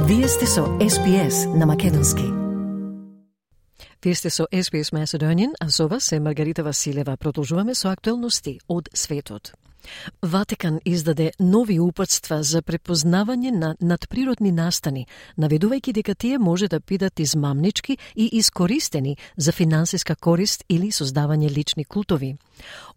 Вие сте со SBS на македонски. Вие сте со SBS Macedonian, а со вас е Маргарита Василева. Продолжуваме со актуелности од светот. Ватикан издаде нови упатства за препознавање на надприродни настани, наведувајќи дека тие може да бидат измамнички и искористени за финансиска корист или создавање лични култови.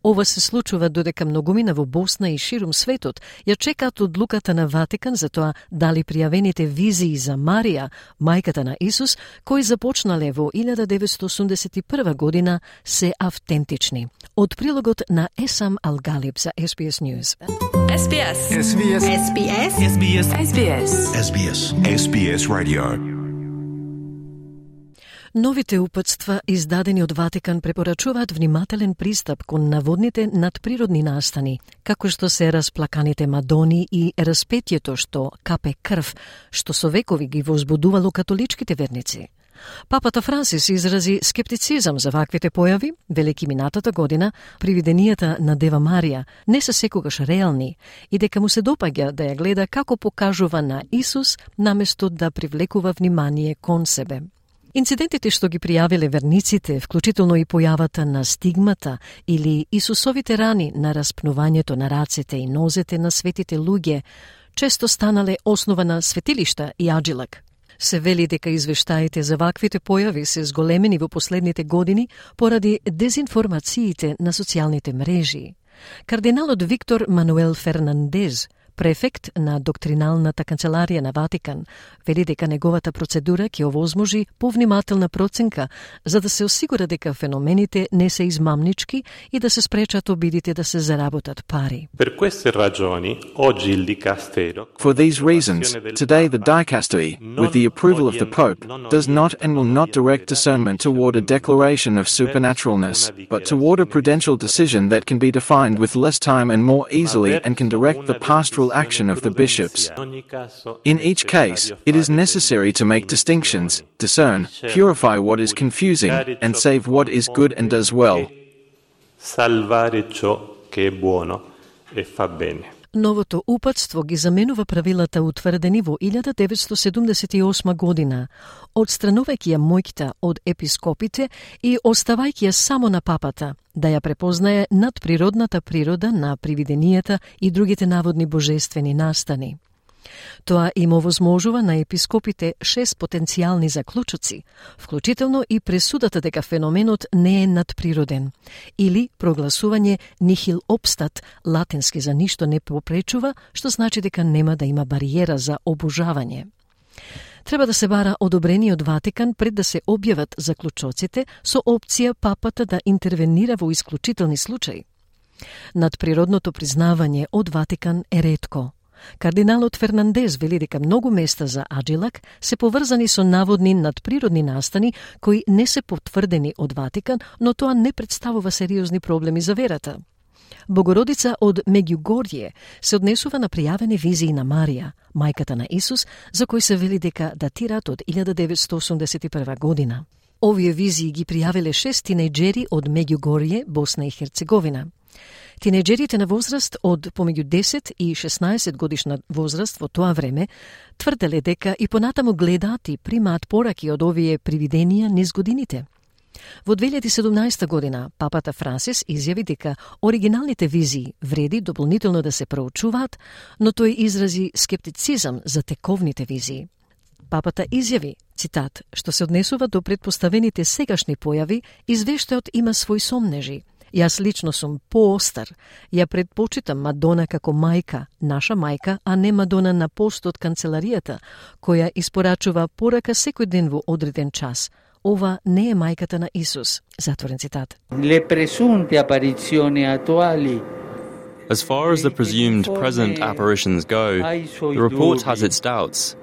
Ова се случува додека многумина во Босна и ширум светот ја чекаат одлуката на Ватикан за тоа дали пријавените визии за Марија, мајката на Исус, кои започнале во 1981 година, се автентични. Од прилогот на Есам Алгалиб за SBS News. SBS. SBS. SBS. SBS. SBS. SBS. SBS Radio. Новите упатства, издадени од Ватикан, препорачуваат внимателен пристап кон наводните надприродни настани, како што се расплаканите Мадони и распетието што капе крв, што со векови ги возбудувало католичките верници. Папата Франсис изрази скептицизам за ваквите појави, велики минатата година, привиденијата на Дева Марија не се секогаш реални и дека му се допаѓа да ја гледа како покажува на Исус наместо да привлекува внимание кон себе. Инцидентите што ги пријавиле верниците, вклучително и појавата на стигмата или Исусовите рани на распнувањето на рацете и нозете на светите луѓе, често станале основа на светилишта и аџилак. Се вели дека извештаите за ваквите појави се зголемени во последните години поради дезинформациите на социјалните мрежи. Кардиналот Виктор Мануел Фернандез, префект на доктриналната канцеларија на Ватикан, вели дека неговата процедура ќе овозможи повнимателна проценка за да се осигура дека феномените не се измамнички и да се спречат обидите да се заработат пари. Per queste ragioni, oggi il dicastero. For these reasons, today the dicastery, with the approval of the Pope, does not and will not direct discernment toward a declaration of supernaturalness, but toward a prudential decision that can be defined with less time and more easily and can direct the pastoral action of the bishops. In each case, it is necessary to make distinctions, discern, purify what is confusing, and save what is good and does well. Salvare ciò che è buono e fa bene. Новото упатство ги заменува правилата утврдени во 1978 година, одстранувајќи ја моќта од епископите и оставајќи ја само на папата, да ја препознае надприродната природа на привиденијата и другите наводни божествени настани. Тоа им овозможува на епископите 6 потенцијални заклучоци, вклучително и пресудата дека феноменот не е надприроден, или прогласување nihil obstat, латински за ништо не попречува, што значи дека нема да има бариера за обожавање. Треба да се бара одобрение од Ватикан пред да се објават заклучоците со опција папата да интервенира во исклучителни случаи. Надприродното признавање од Ватикан е ретко. Кардиналот Фернандез вели дека многу места за аџилак се поврзани со наводни надприродни настани кои не се потврдени од Ватикан, но тоа не представува сериозни проблеми за верата. Богородица од Меѓугорје се однесува на пријавени визии на Марија, мајката на Исус, за кои се вели дека датираат од 1981 година. Овие визии ги пријавиле 6 тинејџери од Меѓугорје, Босна и Херцеговина. Тинејџерите на возраст од помеѓу 10 и 16 годишна возраст во тоа време тврделе дека и понатаму гледаат и примаат пораки од овие привиденија низ годините. Во 2017 година папата Франсис изјави дека оригиналните визии вреди дополнително да се проучуваат, но тој изрази скептицизам за тековните визии. Папата изјави, цитат, што се однесува до предпоставените сегашни појави, извештајот има свој сомнежи. Јас лично сум поостар. Ја предпочитам Мадона како мајка, наша мајка, а не Мадона на пост од канцеларијата, која испорачува порака секој ден во одреден час. Ова не е мајката на Исус. Затворен цитат. Le presunte apparizioni attuali. As far as the presumed present apparitions go, the report has its doubts.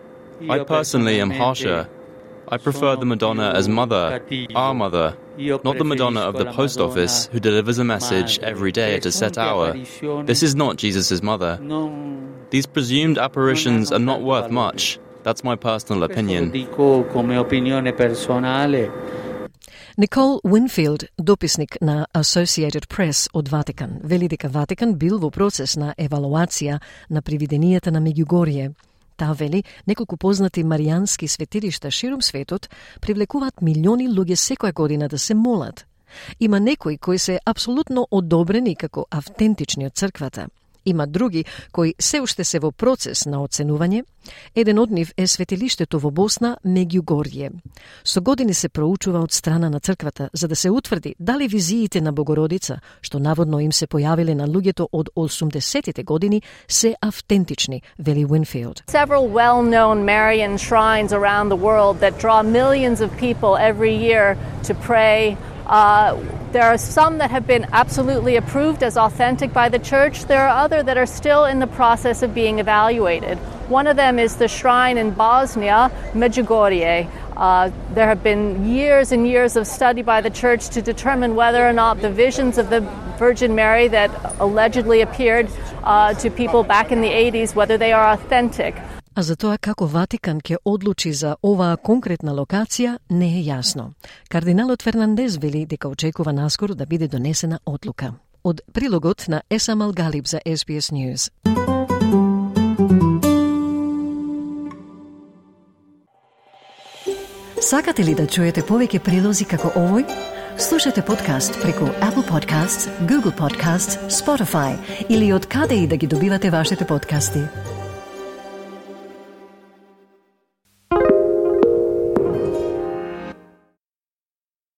I personally am harsher. I prefer the Madonna as mother, our mother, not the Madonna of the post office who delivers a message every day at a set hour. This is not Jesus' mother. These presumed apparitions are not worth much. That's my personal opinion. Никол Уинфилд, дописник на Associated Press од Ватикан, вели дека Ватикан бил во процес на евалуација на привиденијата на Меѓугорје. Таа вели, неколку познати маријански светилишта широм светот привлекуваат милиони луѓе секоја година да се молат. Има некои кои се апсолутно одобрени како автентични од црквата. Има други кои се уште се во процес на оценување. Еден од нив е светилиштето во Босна, Меѓугорје. Со години се проучува од страна на црквата за да се утврди дали визиите на Богородица, што наводно им се појавиле на луѓето од 80-тите години, се автентични, вели Winfield. Several well-known Marian shrines around the world that draw millions of people every year to pray. There are some that have been absolutely approved as authentic by the church. There are others that are still in the process of being evaluated. One of them is the shrine in Bosnia, Medjugorje. There have been years and years of study by the church to determine whether or not the visions of the Virgin Mary that allegedly appeared to people back in the 80s, whether they are authentic. А за тоа како Ватикан ќе одлучи за оваа конкретна локација не е јасно. Кардиналот Фернандес вели дека очекува наскоро да биде донесена одлука. Од прилогот на Есам Алгалиб за SBS News. Сакате ли да чуете повеќе прилози како овој? Слушате подкаст преку Apple Podcasts, Google Podcasts, Spotify или од каде и да ги добивате вашите подкасти.